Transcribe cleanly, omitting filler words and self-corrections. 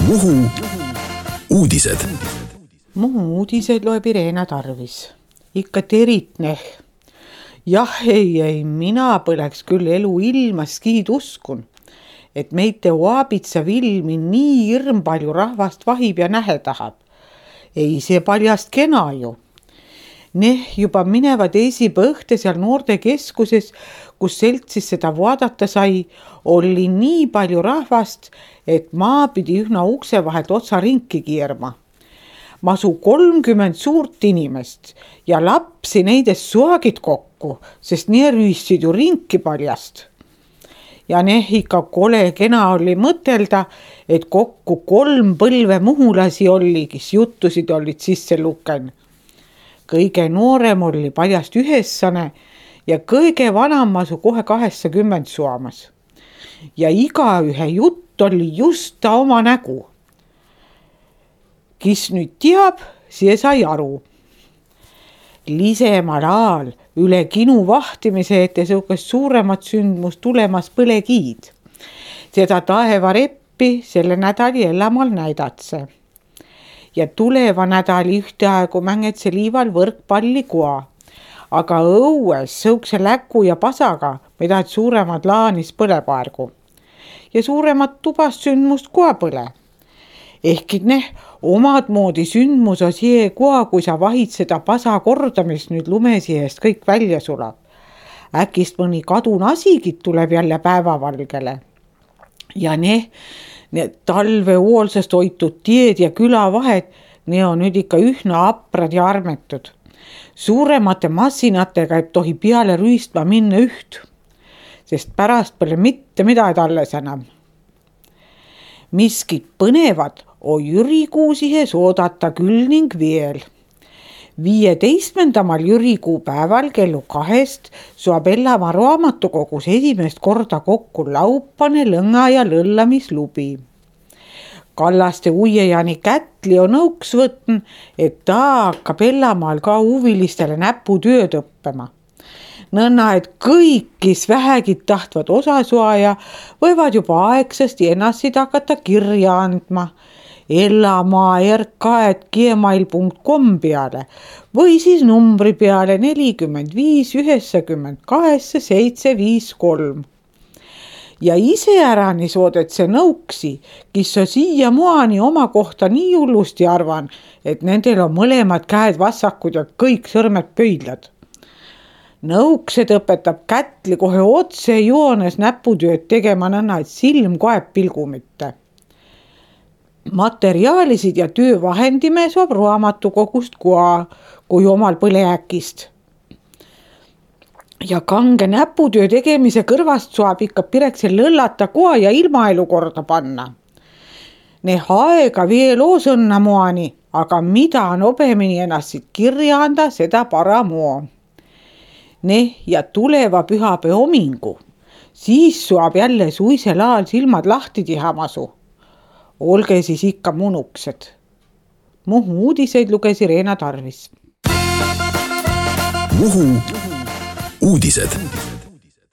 Muhu uudised. Muhu uudised loeb Irena Tarvis. Ikka teritneh. Jah, ei, mina põleks küll elu ilmas skiid uskun, et meite Oabitsa vilmi nii hirm palju rahvast vahib ja nähe tahab. Ei see paljast kena ju. Juba minevad esipõhte seal noortekeskuses, kus seltsis seda vaadata sai, oli nii palju rahvast, et maa pidi ühna ukse vahelt otsa ringi kiirma. Masu 30 suurt inimest ja lapsi neidest suagid kokku, sest nii rüüssid ju ringi paljast. Ja ikka kole kena oli mõtelda, et kokku 3 põlve muhulasi oli, kes juttusid olid sisse luken. Kõige noorem oli paljast 9 ja kõige vanam masu kohe 80 suamas. Ja igaühe jutt oli just ta oma nägu. Kes nüüd teab, see sai aru. Lisemal aal üle kinu vahtimise ette sõukas suuremat sündmust tulemas põlekiid. Seda taevareppi selle nädali Ellamaal näidatse. Ja tuleva nädali ühteaegu mängetse liival võrkpalli koa. Aga õues sõukse läku ja pasaga, mida suuremad laanis põlepaargu. Ja suuremat tubast sündmust koa põle. Ehkid omad moodi sündmus on see koa, kui sa vahid seda pasa kordamist nüüd lumesihest kõik välja sulab. Äkist mõni kadun asigid tuleb jälle päevavalgele. Ja need talve hoolsast hoitud tied ja külavahed, need on nüüd ikka ühna aprad ja armetud. Suuremate massinatega ei tohi peale rüüstma minna üht, sest pärast pole mitte midagi alles enam. Miskid põnevad on jürikuu sihes oodata küll ning veel. 15. jürikuu päeval kellu 2 saab Ellamaa raamatukogus esimest korda kokku laupane lõnga ja lõllamislubi. Kallaste uiejani Kätli on nõuks võtn, et ta hakkab Ellamaal ka huvilistele näputööd õppima. Nõnna, et kõik, kes vähegi tahtvad osasoaja, võivad juba aegsasti ennast hakata kirja andma ellamaa.rk@gmail.com peale või siis numbri peale 45 92 753. Ja iseärani soodet see nõuksi, kes on siiamaani oma kohta nii hullusti arvan, et nendel on mõlemad käed vassakud ja kõik sõrmed pöidlad. Nõuksed õpetab Kätli kohe otse joones näputööd tegema nõnna, et silm kaeb pilgu mitte. Materiaalisid ja töövahendime saab raamatukogust koa, kui omal põleäkist. Ja kange näputöö tegemise kõrvast saab ikka pirekse lõllata koa ja ilmaelu korda panna. Aega veel oosõnna moani, aga mida nobemini ennast siit kirja anda, seda paramoo. Ja tuleva pühapäeva homingu, siis saab jälle suisel ajal silmad lahti teha masu. Olge siis ikka munuksed. Muhu uudiseid luges Irena Tarvis. Muhu uudised.